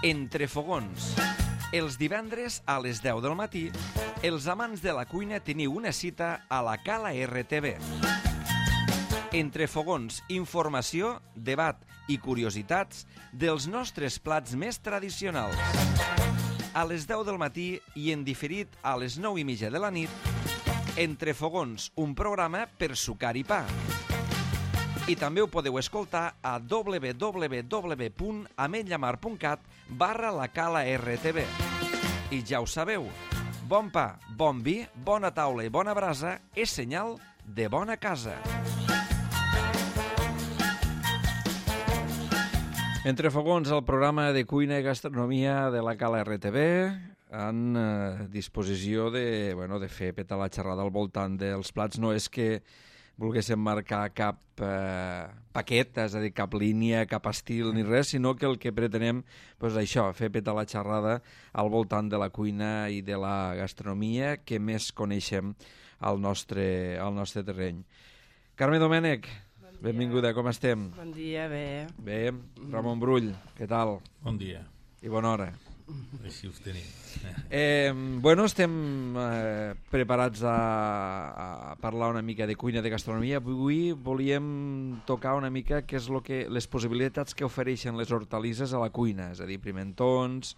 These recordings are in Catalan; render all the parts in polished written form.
Entre fogons. Els divendres a les 10 del matí, els amants de la cuina teniu una cita a la Cala RTV. Entre fogons, informació, debat i curiositats dels nostres plats més tradicionals. A les 10 del matí i en diferit a les 9:30 de la nit, Entre fogons, un programa per sucar i pa. I també ho podeu escoltar a www.ametlllamar.cat/la Cala RTV. I ja ho sabeu, bon pa, bon vi, bona taula i bona brasa és senyal de bona casa. Entre fogons, el programa de cuina i gastronomia de la Cala RTV, en disposició de fer petar la xerrada al voltant dels plats. No és que volguéssim marcar cap paquet, és a dir, cap línia, cap estil ni res, sinó que el que pretenem és això, fer petar la xerrada al voltant de la cuina i de la gastronomia que més coneixem al nostre terreny. Carme Domènech, benvinguda, com estem? Bon dia, bé. Bé, Ramon Brull, què tal? Bon dia. I bona hora. Així us tenim. Estem preparats a parlar una mica de cuina, de gastronomia. Avui volíem tocar una mica què és les possibilitats que ofereixen les hortalisses a la cuina, és a dir, pimentons,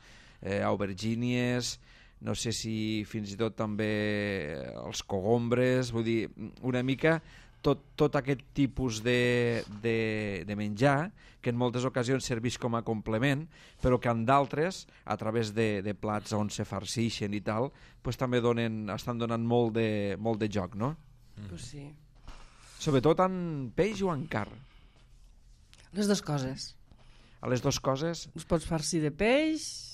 aubergínies, no sé si fins i tot també els cogombres, vull dir, una mica tot aquest tipus de menjar que en moltes ocasions serveix com a complement, però que en d'altres, a través de plats on se farcixen i tal, pues també estan donant molt de joc, no? Pues sí. Sobretot en peix o en carn? Les dues coses. A les dues coses? Us pots farcir de peix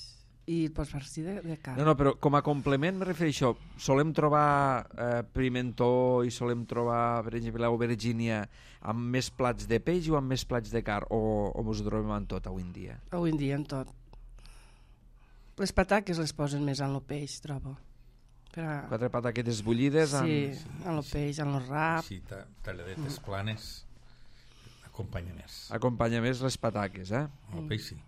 i et pots farcir de carn. No, però com a complement me refereixo, solem trobar pimentó i solem trobar, per exemple, l'aubergínia amb més plats de peix o amb més plats de carn, o us ho trobem en tot avui en dia? Avui en dia en tot. Les pataques les posen més en el peix, trobo. 4 pataquetes bullides en el peix, en el rap. Sí, talladetes planes, acompanya més. Acompanya més les pataques, eh? El peix sí.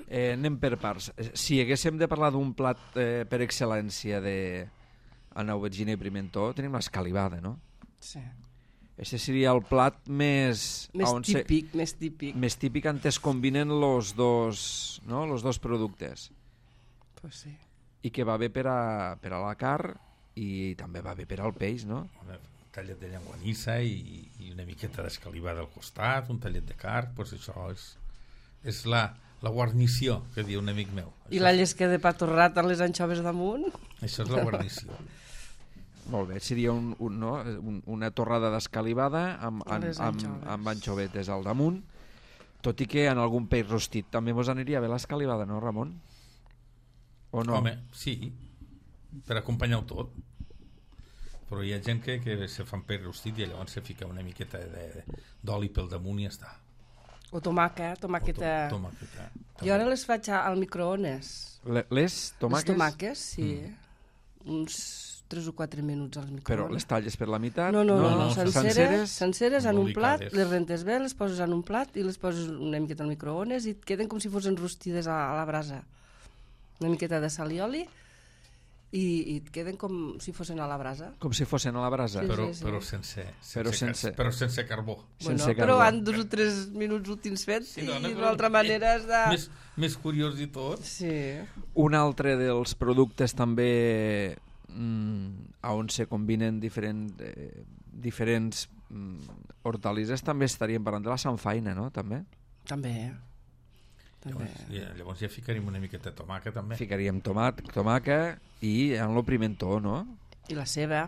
Anem per parts. Si haguéssim de parlar d'un plat per excel·lència en aubergina i pimentó, tenim l'escalivada, no? Sí. Este seria el plat més típic. Més típic on es combinen los dos productes. Pues sí. I que va bé per a la carn i també va bé per al peix, no? Un tallet de llenguanissa i una miqueta d'escalivada al costat, un tallet de carn, pues això és la guarnició, que diu un amic meu. I la llesca de pa torrat amb les anxoves damunt? Això és la guarnició. Molt bé, seria una torrada d'escalivada amb anxovetes al damunt, tot i que en algun peix rostit també mos aniria bé l'escalivada, no, Ramon? O no? Home, sí, per acompanyar-ho tot. Però hi ha gent que se fan peix rostit i llavors se fica una miqueta d'oli pel damunt i ja està. O tomàqueta. Jo ara les faig al microones. Les tomàques? Les tomàques, sí. Uns 3 o 4 minuts als microones. Però les talles per la meitat? No, senceres en un plat, les rentes bé, les poses en un plat i les poses una miqueta al microones i et queden com si fossin rostides a la brasa. Una miqueta de sal i oli i et queden com si fossin a la brasa. Com si fossin a la brasa? Sí. Però sense carbó. Però han 2 o 3 minuts últims fets i d'una altra manera has de... Més curiós i tot. Sí. Un altre dels productes també on se combinen diferents hortalisses, també estaríem parlant de la samfaina, no? També. Llavors ja ficaríem una miqueta de tomàquet també. Ficaríem tomàquet i en el pimentó, no? I la ceba.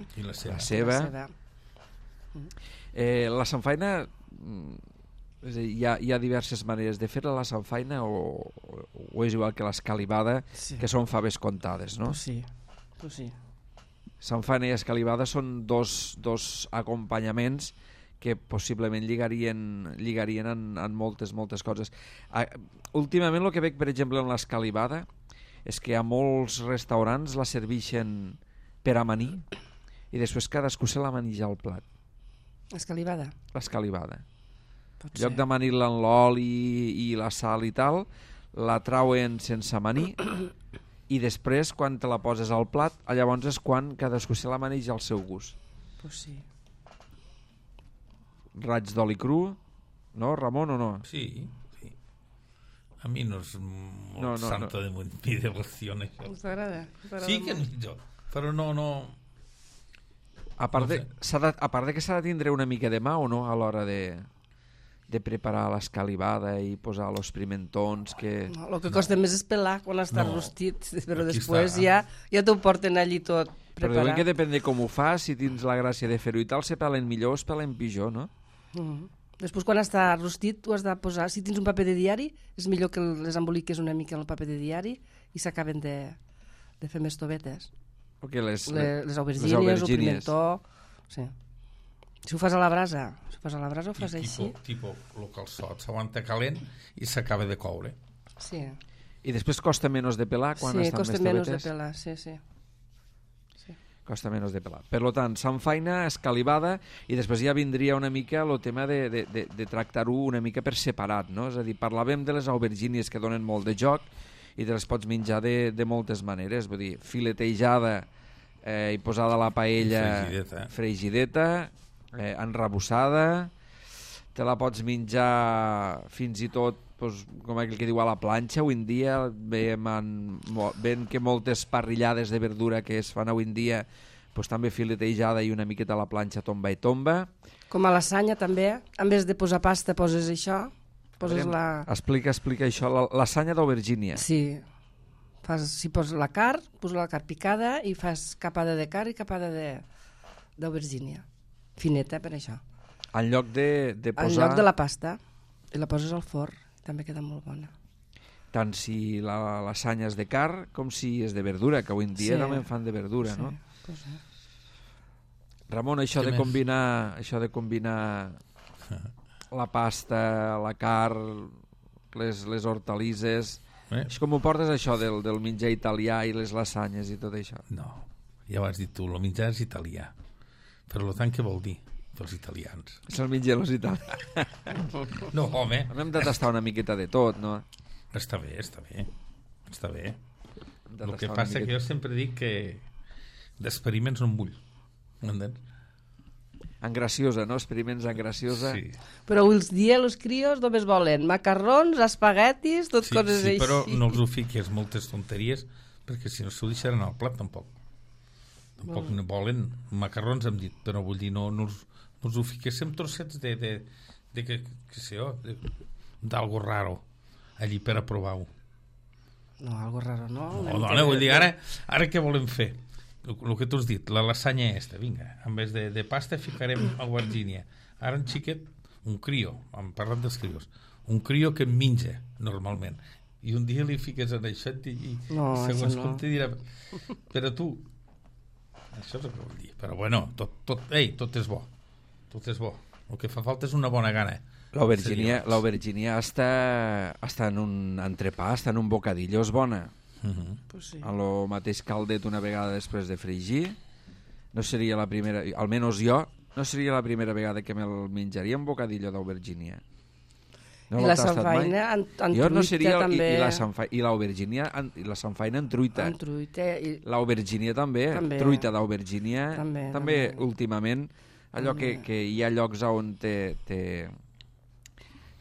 La samfaina, hi ha diverses maneres de fer-la, la samfaina, o és igual que l'escalivada, que són faves comptades, no? Pues sí. Samfaina i escalivada són dos acompanyaments que possiblement lligarien en moltes coses. Últimament el que veig, per exemple, en l'escalivada és que a molts restaurants la serveixen per amanir i després cadascú se la menja al plat. L'escalivada? L'escalivada. En lloc d'amanir-la en l'oli i la sal i tal, la trauen sense amanir i després, quan te la poses al plat, llavors és quan cadascú se la maneja al seu gust. Pues sí. Raig d'oli cru, no, Ramon, o no? Sí. A mi no és molt santo de mi devoció, això. T'agrada? Sí que és millor, però no... A part de que s'ha de tindre una mica de mà o no a l'hora de preparar l'escalivada i posar els pimentons que... No, el que costa més és pelar quan està rostit, però després ja t'ho porten allí tot preparat. Però diuen que depèn de com ho fas, si tens la gràcia de fer-ho i tal, se pelen millor o es pelen pitjor, no? Després, quan està rostit, tu has de posar... Si tens un paper de diari, és millor que les emboliques una mica en el paper de diari i s'acaben de fer més tovetes. Okay, les aubergínies, el pimentó... Sí. Si ho fas a la brasa, ho fas així. Tipo el calçot, s'aguanta calent i s'acaba de coure. Sí. I després costa menys de pelar quan estan més tovetes? Sí, costa menys de pelar, sí. Costa menys de pelar. Per tant, s'enfaina, escalivada, i després ja vindria una mica el tema de tractar-ho una mica per separat, no? És a dir, parlàvem de les aubergínies que donen molt de joc i te les pots menjar de moltes maneres, vull dir, filetejada i posada a la paella, fregideta, enrabussada, te la pots menjar fins i tot, com aquell que diu, a la planxa. Avui en dia veiem que moltes parrillades de verdura que es fan avui en dia també filetejada i una miqueta a la planxa tomba i tomba. Com a lasanya també, en vez de posar pasta poses això. Explica això, la lasanya d'aubergínia. Sí, si poses la carn picada i fas capada de carn i capada d'aubergínia. Fineta, per això. En lloc de posar... En lloc de la pasta. I la poses al forn. També queda molt bona. Tant si la lasanya és de carn com si és de verdura, que avui en dia també en fan de verdura, no? Pues Ramon, això de combinar la pasta, la carn, les hortalisses... Com ho portes, això del menjar italià i les lasanyes i tot això? No, ja ho has dit tu, el menjar és italià. Per tant, què vol dir? Els italians. Se'l mengen els italians. No, home. Hem de tastar una miqueta de tot, no? Està bé. El que passa que jo sempre dic que d'experiments no en vull. M'entens? En graciosa, no? Experiments en graciosa. Sí. Però els dia els crios només volen macarrons, espaguetis, tot coses així. Sí, però no els ho fiques moltes tonteries, perquè si no s'ho deixaran al plat, tampoc no volen macarrons, hem dit, però vull dir, no us ho fiquéssim trossets d'algo raro allí per a provar-ho. No, algo raro no. No, dona, vull dir, ara què volem fer? El que tu has dit, la lasanya vinga, en vez de pasta ficarem aubergínia. Ara un xiquet, un crio, hem parlat dels crios, un crio que menja normalment, i un dia li fiques en això i segons com te dirà, però tu, això és el que vull dir, però bueno, tot és bo, el que fa falta és una bona gana. L'aubergínia està en un entrepà, està en un bocadillo, és bona. Pues sí. En el mateix caldet una vegada després de fregir, no seria la primera, almenys jo, no seria la primera vegada que me'l menjaria un bocadillo d'aubergínia. I la samfaina en truita també. I l'aubergínia, la samfaina en truita. En truita. L'aubergínia també, truita d'aubergínia. També últimament, allò que hi ha llocs on te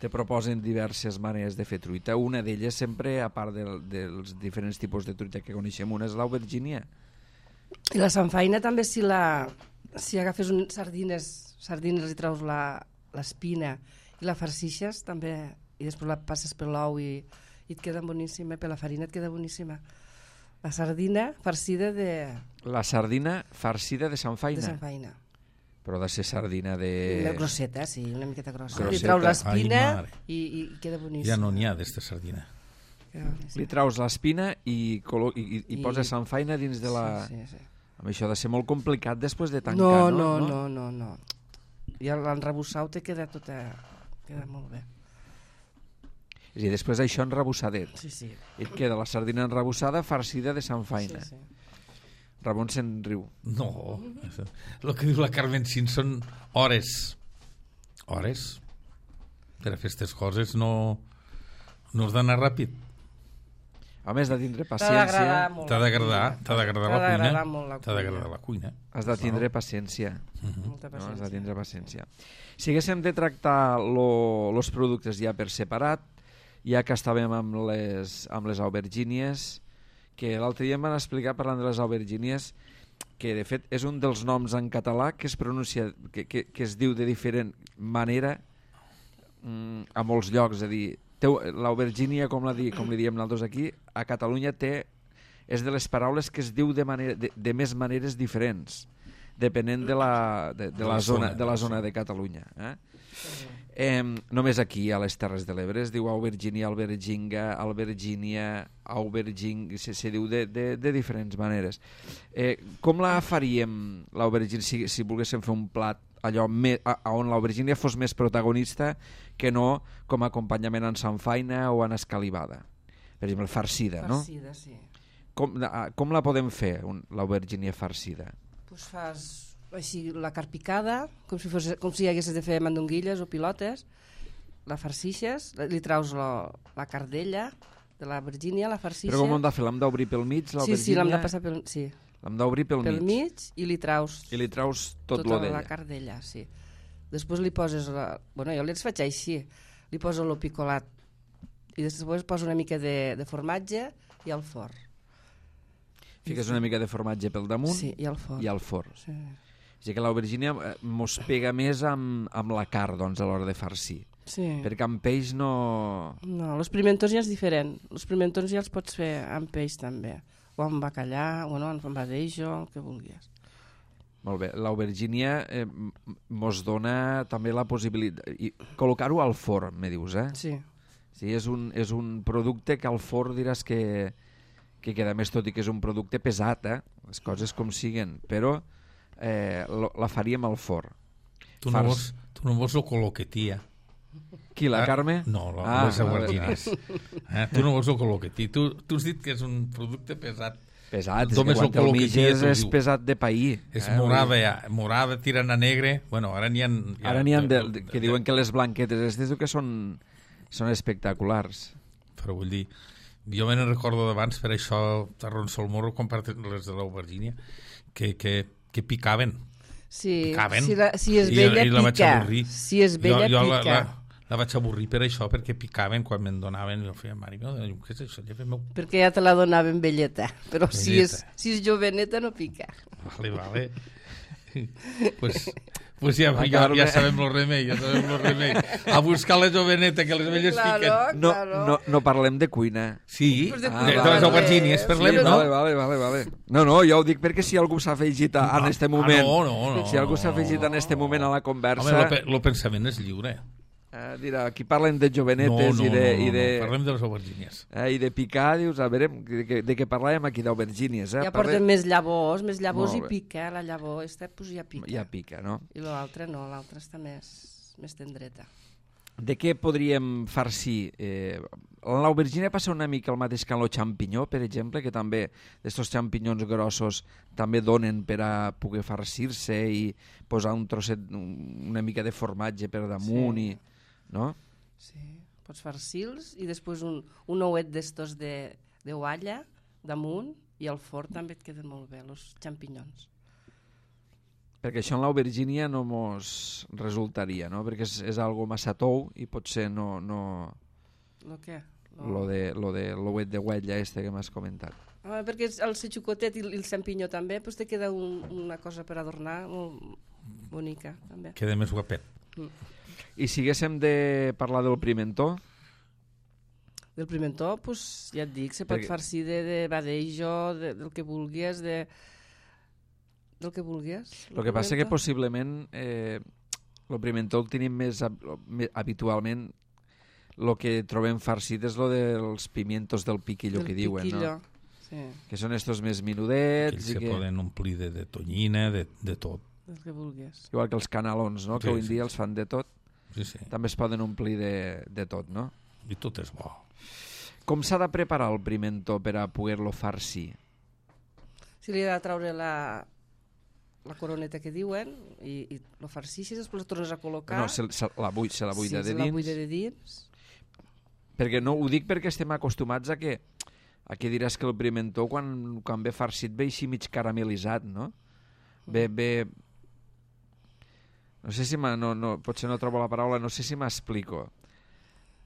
proposen diverses maneres de fer truita. Una d'elles sempre, a part dels diferents tipus de truita que coneixem, una és l'aubergínia. I la samfaina també, si agafes sardines i treus l'espina i la farcixes també, i després la passes per l'ou i et queda boníssima, per la farina et queda boníssima. La sardina farcida de... La sardina farcida de samfaina. De samfaina. Però ha de ser sardina de... Una grosseta, sí, una miqueta grossa. Li traus l'espina i queda boníssima. Ja no n'hi ha d'esta sardina. Li traus l'espina i poses samfaina dins de la... Sí. Amb això ha de ser molt complicat després de tancar, no? No. I l'enrebussau te queda queda molt bé. És a dir, després això enrebussadet. Sí. I et queda la sardina enrebussada farcida de samfaina. Sí. Ramon se'n riu. No, el que diu la Carmen Cint són hores. Hores? Per a fer aquestes coses no has d'anar ràpid. Home, has de tindre paciència. T'ha d'agradar la cuina. Molt T'ha d'agradar la cuina. Has de tindre paciència. Molta paciència. No? Has de tindre paciència. Si haguéssim de tractar els productes ja per separat, ja que estàvem amb les aubergínies, que l'altre dia em van explicar, parlant de les aubergínies, que de fet és un dels noms en català que es pronuncia, que es diu de diferent manera a molts llocs. És a dir, l'aubergínia, com li diem nosaltres aquí, a Catalunya és de les paraules que es diu de més maneres diferents, depenent de la zona de Catalunya. Només aquí, a les Terres de l'Ebre, es diu aubergínia, alberginga, albergínia, se diu de diferents maneres. Com la faríem, l'aubergínia, si volguéssim fer un plat allò on l'aubergínia fos més protagonista que no com a acompanyament en samfaina o en escalivada? Per exemple, farcida, no? Farcida, sí. Com la podem fer, l'aubergínia farcida? Pues fas així la carn picada, com si haguessis de fer mandonguilles o pilotes, la farcixes, li traus la cardella de la virgínia, la farcixes... Però com hem de fer? L'hem d'obrir pel mig, l'aubergínia? Sí, l'hem de passar pel... Sí. L'hem d'obrir pel mig i li traus... I li traus tot lo d'ella. La cardella, sí. Després li poses... Bueno, jo les faig així. Li poso lo picolat i després poso una mica de formatge i al forn. Fiques una mica de formatge pel damunt, sí, i al forn. Sí. O sigui que l'aubergínia mos pega més amb la carn, doncs, a l'hora de farcir. Sí. Perquè amb peix no... No, els pimentons ja és diferent. Els pimentons ja els pots fer amb peix també. O amb bacallà, o no, amb badejo, el que vulguis. Molt bé. L'aubergínia mos dona també la possibilitat... Col·locar-ho al forn, me dius, eh? Sí. Sí, és un producte que al forn diràs que queda més, tot i que és un producte pesat, les coses com siguen, però la faríem al forn. Tu no vols lo coloquetí, Qui, la Carme? No, les aubergínies. Tu no vols lo coloquetí. Tu has dit que és un producte pesat. Pesat, és que quan el mitges és pesat de pair. És morada tirant a negre. Bueno, ara n'hi ha... Ara n'hi ha que diuen que les blanquetes aquestes que són espectaculars. Però vull dir, jo me ne recordo d'abans, per això t'arronso el morro, compartir les de l'aubergínia, que picaven. Sí, picaven. Si és vella, la vaig pica. Avorrir. Si és vella, pica. La vaig avorrir per això, perquè picaven quan me'n donaven. Jo feia, mare meva, què és això? Perquè ja te la donaven velleta. Però velleta. Si és joveneta, no pica. Vale. Pues ja sabem el remei, a buscar la joveneta, que les velles piquen. No parlem de cuina. Sí, de les aubergínies parlem, no? Vale. No, jo ho dic perquè si algú s'ha afegit en este moment, si algú s'ha afegit en este moment a la conversa... Home, el pensament és lliure. Dirà, aquí parlen de jovenetes parlem de les aubergínies. I de picar, dius, a veure, de què parlem aquí d'aubergínies? Ja porten més llavors i pica, la llavor pues ja pica. Ja pica, no? I l'altre no, l'altre està més tendreta. De què podríem farcir? L'aubergínia passa una mica el mateix que en el xampinyó, per exemple, que també aquests xampinyons grossos també donen per a poder farcir-se i posar un trosset, una mica de formatge per damunt, sí. No? Sí, pots farcir-los i després un ouet d'estos d'oalla damunt i al forn també et queden molt bé, els xampinyons. Perquè això en l'aubergínia no mos resultaria, no? Perquè és algo massa tou i potser no... Lo què? Lo de l'ouet de huella que m'has comentat. Perquè el setxucotet i el xampinyó també, pues te queda una cosa per adornar molt bonica, també. Queda més guapet. I si haguéssim de parlar del pimentó? Del pimentó, pues, ja et dic, se pot farcir de badejo, del que vulguis, del que vulguis. El que passa que possiblement el pimentó el tenim més habitualment, el que trobem farcit és el dels pimientos del piquillo que diuen, no? Sí. Que són estos més menudets. Aquells que poden omplir de tonyina, de tot. El que vulguis. Igual que els canalons, no? Que avui en dia els fan de tot. Sí. També es poden omplir de tot, no? I tot és bo. Com s'ha de preparar el pimentó per a poder-lo farcir? Si li ha de treure la coroneta que diuen i lo farcixes, després el tornes a col·locar. No, se la buida de dins. Se la buida de dins. Perquè no, ho dic perquè estem acostumats a que Aquí diràs que el pimentó, quan ve farcit, ve així mig caramelitzat, no? Ve... No sé si potser no trobo la paraula, no sé si m'explico.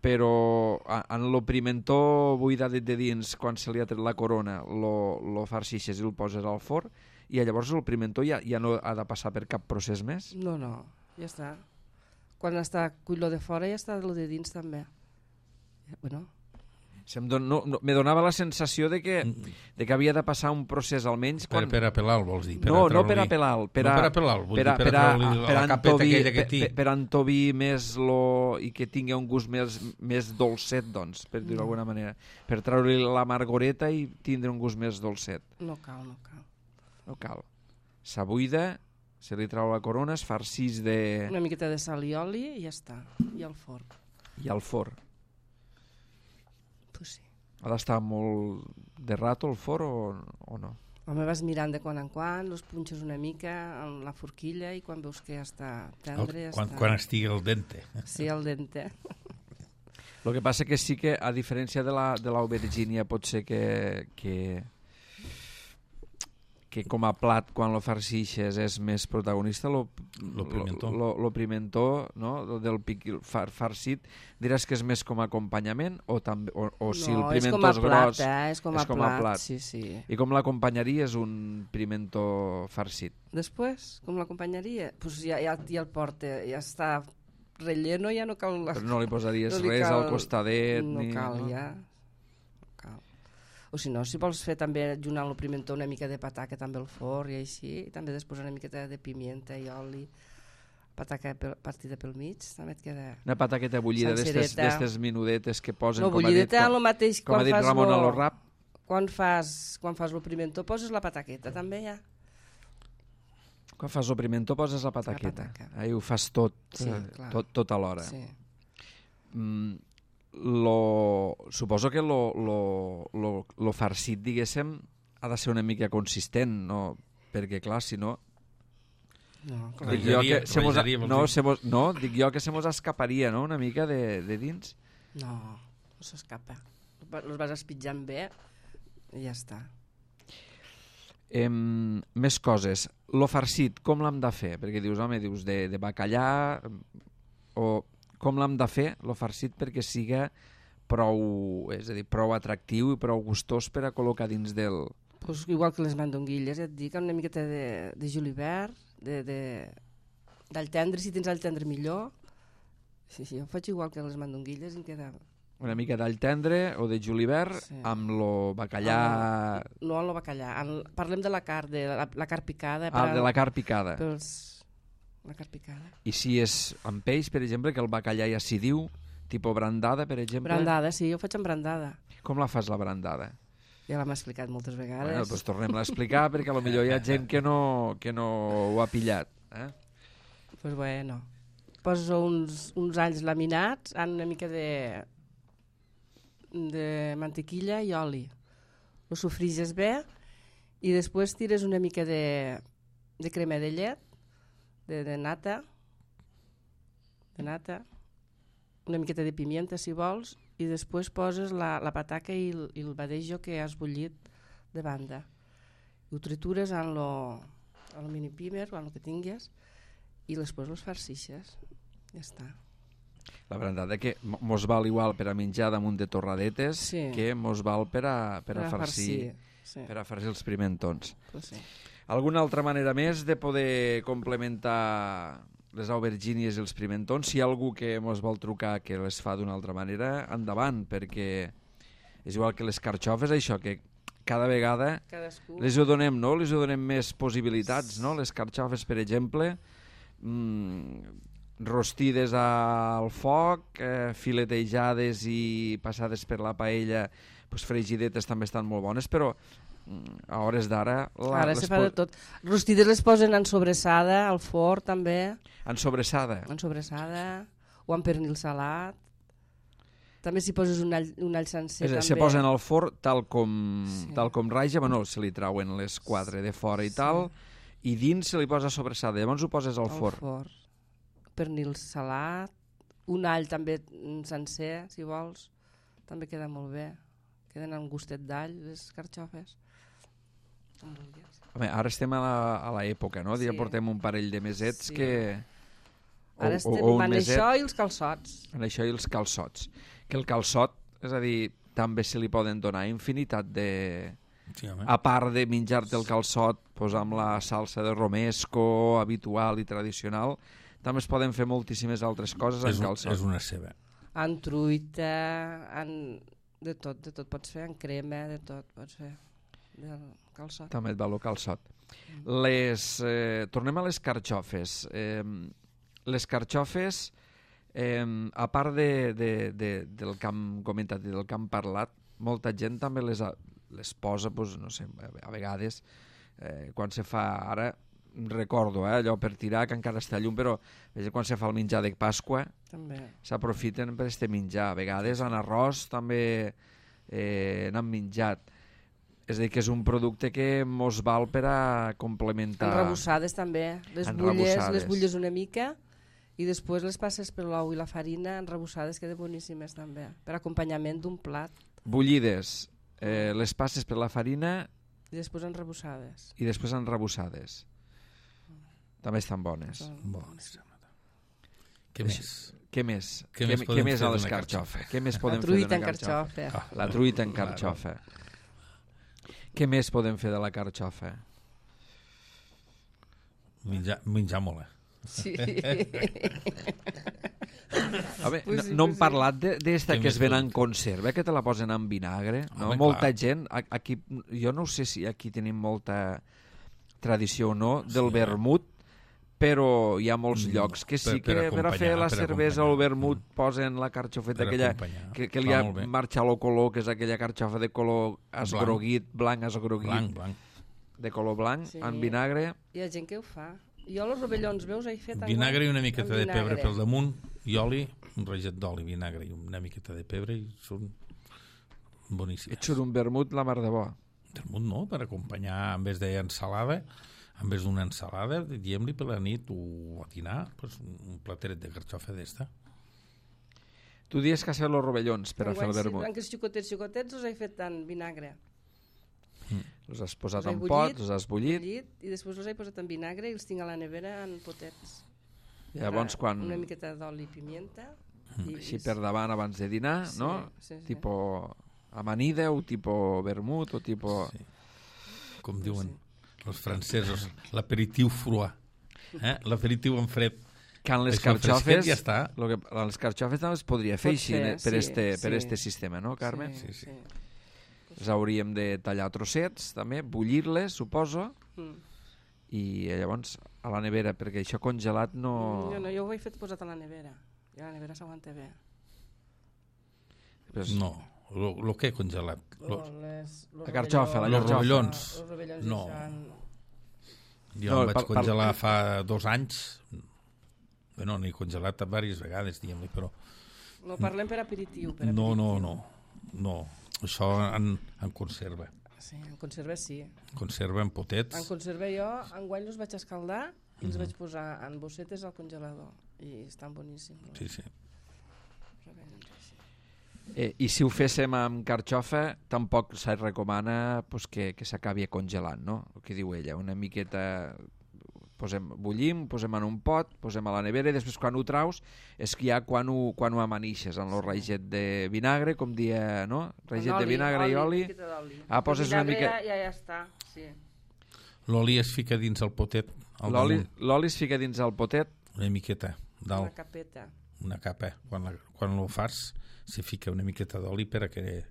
Però en lo pimentó buidat de dins, quan se li ha tret la corona, lo farcixes i el poses al forn, i llavors el pimentó ja no ha de passar per cap procés més? No, ja està. Quan està cuit lo de fora ja està lo de dins també. Bueno... Me donava la sensació de que havia de passar un procés almenys... Per a pelar-lo, vols dir? No per a pelar-lo. Per a pelar-lo, vull dir, per a treure la capeta aquella que té. Per entovir més i que tingui un gust més dolcet, doncs, per dir-ho d'alguna manera. Per treure l'amargoreta i tindre un gust més dolcet. No cal. No cal. S'abuida, se li treu la corona, es farcís de... Una miqueta de sal i oli i ja està. I al forn. I al forn. Pues sí. Ha d'estar molt de rato el forn o no? Home, vas mirant de quan en quan, els punxes una mica en la forquilla i quan veus que ja està tendre... Quan estigui al dente. Sí, al dente. El que passa que sí que, a diferència de l'aubergínia, pot ser que com a plat, quan lo farcixes, és més protagonista, lo pimentó, no? Del farcit, diràs que és més com a acompanyament o si el pimentó és gros... És com a plat, sí. I com l'acompanyaries un pimentó farcit? Després, com l'acompanyaria? Pues ja el porta, ja està relleno, ja no cal... Però no li posaries res al costadet? No cal, ja. O si no, si vols fer també ajuntant el pimentó una mica de pataca també al forn i així, i també després una miqueta de pimienta i oli, pataca partida pel mig, també et queda... Una pataqueta bullida d'estes minudetes que posen, no, bullideta el mateix com ha dit Ramon a lo rap. Quan fas el pimentó poses la pataqueta també ja. Quan fas el pimentó poses la pataqueta. Ahí ho fas tot, sí, tot alhora. Sí. Suposo que lo farcit, diguéssim, ha de ser una mica consistent, no? Perquè clar, si no... Dic jo que se mos escaparia, no?, una mica de dins. No s'escapa. Els vas espitjant bé i ja està. Més coses. Lo farcit, com l'hem de fer? Perquè dius de bacallà o... Com l'hem de fer, lo farcit, perquè siga prou atractiu i prou gustós per a col·locar dins del... Pues igual que les mandonguilles, ja et dic, una miqueta de julivert, d'all tendre, si tens all tendre millor. Sí, jo faig igual que les mandonguilles i em queda... Una mica d'all tendre o de julivert, sí, amb lo bacallà... No amb lo bacallà, parlem de la carn, de la carn picada. De la carn picada. La carn picada. I si és amb peix, per exemple, que el bacallà ja s'hi diu, tipus brandada, per exemple? Brandada, sí, jo faig amb brandada. Com la fas, la brandada? Ja l'hem explicat moltes vegades. Bueno, doncs tornem-la a explicar, perquè potser hi ha gent que no ho ha pillat. Pues bueno, poso uns alls laminats amb una mica de mantequilla i oli. Ho sofriges bé i després tires una mica de crema de llet, de nata, una miqueta de pimienta si vols, i després poses la pataca i el badejo que has bullit de banda. Ho tritures en el mini pimer o en el que tinguis i després els farcixes. Ja està. La brandada que mos val igual per a menjar damunt de torradetes, sí, que mos val per a farcir, sí, per a farcir els pimentons. Pues sí. Alguna altra manera més de poder complementar les aubergínies i els pimentons? Si hi ha algú que mos vol trucar que les fa d'una altra manera, endavant, perquè és igual que les carxofes, això, que cada vegada les ho donem, no? Les ho donem més possibilitats, no? Les carxofes, per exemple, rostides al foc, filetejades i passades per la paella, pues fregidetes també estan molt bones, però a hores d'ara... Ara se fa de tot. Rostides les posen en sobressada, al forn també. En sobressada? En sobressada, o en pernil salat. També si poses un all sencer també. Se posen al forn tal com raja, bueno, se li trauen les quatre de fora i tal, i dins se li posa sobressada, llavors ho poses al forn. Pernil salat, un all també sencer, si vols, també queda molt bé. Queden amb gustet d'all, les carxofes. Home, ara estem a l'època, no? Ja portem un parell de mesets que... Ara estem en això i els calçots. En això i els calçots. Que el calçot, és a dir, també se li poden donar infinitat de... Sí, a part de menjar-te el calçot, posar amb la salsa de romesco habitual i tradicional, també es poden fer moltíssimes altres coses en calçot. És una ceba. En truita, de tot pots fer, en crema, de tot pots fer. Del calçot. També et va el calçot. Tornem a les carxofes. Les carxofes, a part del que hem comentat i del que hem parlat, molta gent també les posa, doncs, no sé, a vegades, quan se fa ara, recordo, allò per tirar, que encara està llum, però quan se fa el menjar de Pasqua, s'aprofiten per este menjar. A vegades en arròs també n'han menjat. És a dir, que és un producte que mos val per a complementar... Enrebossades també. Les bulles una mica i després les passes per l'ou i la farina enrebossades, queden boníssimes també, per acompanyament d'un plat. Bullides, les passes per la farina... I després enrebossades. També estan bones. Bones. Què més? Què més a l'escarxofa? Què més podem fer d'una carxofa? La truita en carxofa. Què més podem fer de la carxofa? Menjar molt, Sí. No hem parlat d'esta que es ven en conserva, que te la posen en vinagre. Molta gent, aquí, jo no sé si aquí tenim molta tradició o no, del vermut, però hi ha molts llocs que sí que per a fer la cervesa o el vermut posen la carxofeta aquella que li ha marxat el color, que és aquella carxofa de color esgroguit, blanc esgroguit, de color blanc, en vinagre. Hi ha gent que ho fa. Jo els rovellons meus he fet vinagre i una miqueta de pebre pel damunt i oli, un raget d'oli, vinagre i una miqueta de pebre i són boníssimes. Et surt un vermut la mar de bo. Vermut no, per acompanyar en vez d'ensalada, en vez d'una ensalada, diem-li per la nit o a dinar, pues, un plateret de carxofa d'esta. Tu dius que has fet els rovellons per a fer el vermut. Sí, xicotets els he fet en vinagre. Els has posat en pot, els has bullit. I després els he posat en vinagre i els tinc a la nevera en potets. Llavors quan... Una miqueta d'oli i pimienta. Així per davant abans de dinar, no? Tipo amanida o tipo vermut o tipo... Com diuen els francesos, l'aperitiu froid. L'aperitiu en fred. Que en les carxofes, les carxofes també es podria fer així per este sistema, no, Carmen? Sí. Les hauríem de tallar trossets, també, bullir-les, suposo, i llavors a la nevera, perquè això congelat no... Jo ho he fet posat a la nevera, i a la nevera s'aguanta bé. No, el que he congelat? La carxofa, els rovellons. No. Jo em vaig congelar fa 2 anys. Bueno, n'he congelat diverses vegades, diguem-li, però... No parlem per aperitiu. No. Això en conserva. Sí, en conserva sí. Conserva en potets. En conserva jo, enguany els vaig escaldar i els vaig posar en bossetes al congelador. I estan boníssims. Sí. I si ho féssim amb carxofa, tampoc se recomana que s'acabi congelant, no? El que diu ella, una miqueta... bullim, posem en un pot, posem a la nevera i després quan ho traus és que ja quan ho amanixes en el raget de vinagre, com dia, no? Raget de vinagre i oli. Poses una mica... Ja està, sí. L'oli es fica dins el potet. L'oli es fica dins el potet. Una miqueta dalt. Una capeta. Una capa. Quan ho fas se fica una miqueta d'oli per a que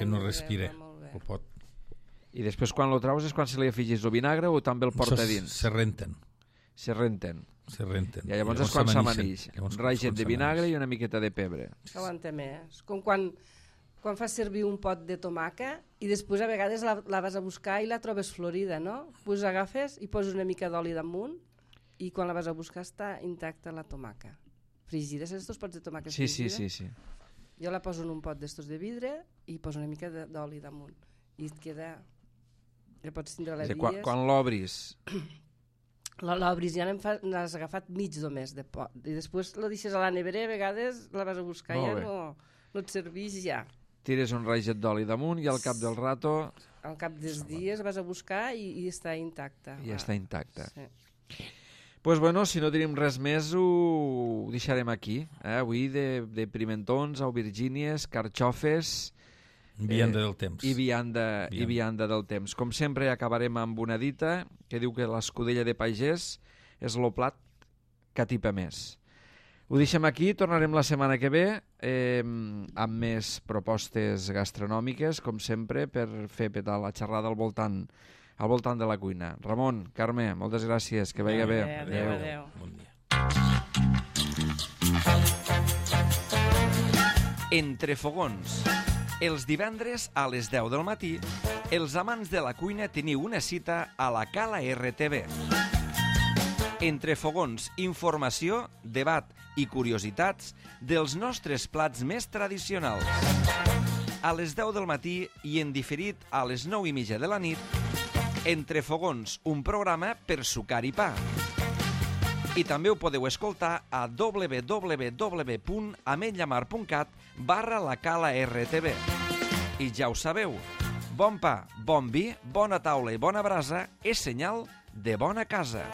no respire el pot. I després quan lo traus és quan se li afegis el vinagre o també el porta dins? Se renten. I llavors és quan s'amanix. Un raget de vinagre i una miqueta de pebre. S'aguanta més. Com quan fas servir un pot de tomaca i després a vegades la vas a buscar i la trobes florida, no? Pues agafes i poses una mica d'oli damunt i quan la vas a buscar està intacta la tomaca. Fregida, saps els pots de tomaca fregida? Sí. Jo la poso en un pot d'estos de vidre i poso una mica d'oli damunt. I et queda... Ja pots tindre la dies. Quan l'obris? L'obris, ja n'has agafat mig només de pot. I després la deixes a la nevera, a vegades la vas a buscar i ja no et serveix ja. tires un raget d'oli damunt i al cap del rato... Al cap dels dies vas a buscar i està intacta. I està intacta. Sí. Pues bueno, si no tenim res més, ho deixarem aquí. Avui de pimentons, aubergínies, carxofes... Vianda del temps. I vianda del temps. Com sempre, acabarem amb una dita que diu que l'escudella de pagès és el plat que atipa més. Ho deixem aquí, tornarem la setmana que ve amb més propostes gastronòmiques, com sempre, per fer petar la xerrada al voltant de la cuina. Ramon, Carme, moltes gràcies, que vagi bé. Adéu. Bon dia. Entre fogons. Els divendres a les 10 del matí, els amants de la cuina teniu una cita a la Cala RTV. Entre fogons, informació, debat i curiositats dels nostres plats més tradicionals. A les 10 del matí i en diferit a les 9:30 de la nit, Entre fogons, un programa per sucar i pa. I també ho podeu escoltar a www.ametlllamar.cat/la Cala RTV. I ja ho sabeu, bon pa, bon vi, bona taula i bona brasa és senyal de bona casa.